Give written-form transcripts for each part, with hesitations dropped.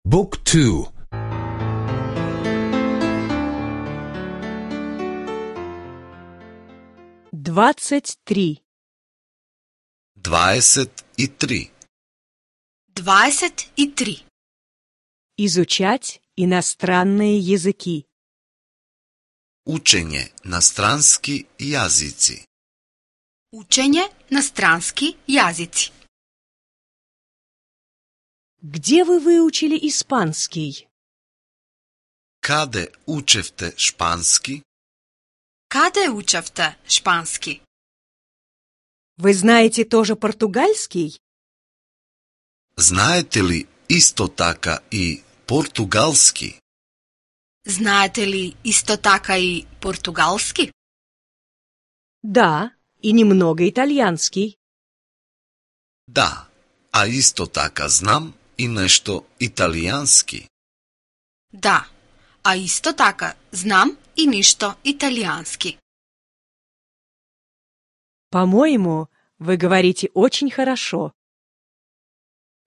Book 2. 23. 23. 23. Изучать иностранные языки. Учење на странски јазици. Учење на странски јазици. Где вы выучили испанский? Каде учевте шпански? Каде учевте шпански? Вы знаете тоже португальский? Знаете ли исто така и португалски? Знаете ли исто така и португалски? Да, и немного итальянский. Да, а исто така знам и нешто италијански. Да, а исто така знам и нешто италијански. По-моему, вы говорите очень хорошо.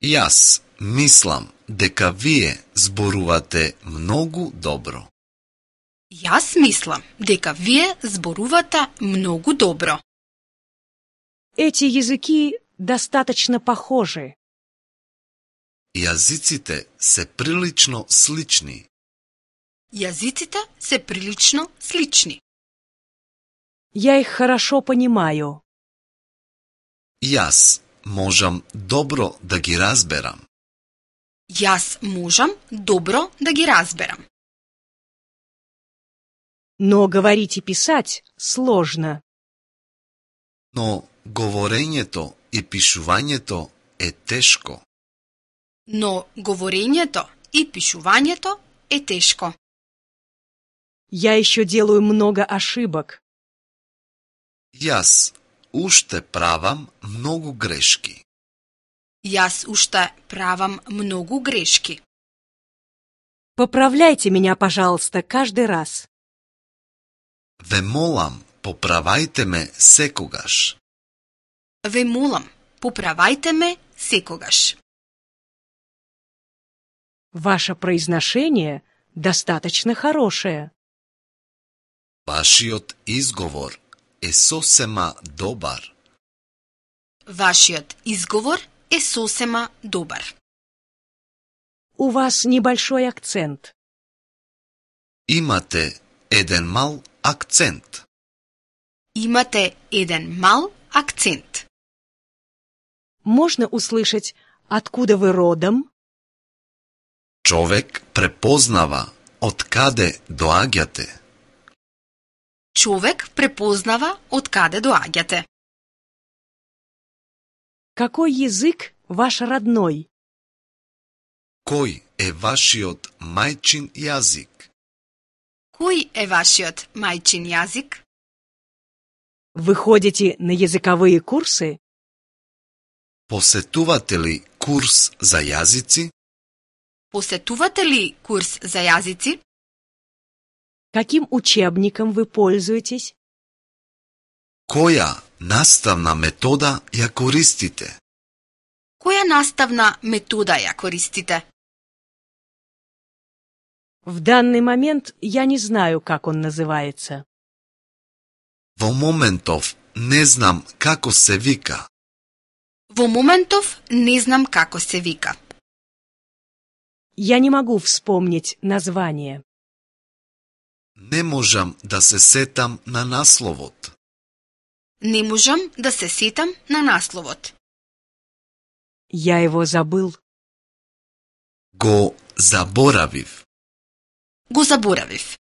Јас мислам дека вие зборувате многу добро. Јас мислам дека вие зборувате многу добро. Эти языки достаточно похожи. Јазиците се прилично слични. Јазиците се прилично слични. Я их хорошо понимаю. Јас можам добро да ги разберам. Јас можам добро да ги разберам. Но говорить и писать сложно. Но говорењето и пишувањето е тешко. Но говорењето и пишувањето е тешко. Я еще делаю много ошибок. Јас уште правам многу грешки. Јас уште правам многу грешки. Поправляйте меня, пожалуйста, каждый раз. Ве молам, поправајте ме секогаш. Ве молам, поправајте ме секогаш. Ваше произношение достаточно хорошее. Вашиот изговор е сосема добар. Вашиот изговор е сосема добар. У вас небольшой акцент. Имате еден мал акцент. Имате еден мал акцент. Можно услышать, откуда вы родом? Човек препознава од каде доаѓате. Човек препознава од каде доаѓате. Какой язык ваш родной? Кој е вашиот мајчин јазик? Кој е вашиот мајчин јазик? Вы ходите на языковые курсы? Посетувате ли курс за јазици? Посетувате ли курс за јазици? Каким учебником вы пользуетесь? Која наставна метода ја користите? Која наставна метода ја користите? В данный момент я не знаю, как он называется. Во моментов не знам како се вика. Во моментов не знам како се вика. Я не могу вспомнить название. Не можам да се сетам на насловот. Не можам да се сетам на насловот. Я его забыл. Го заборавив. Го заборавив.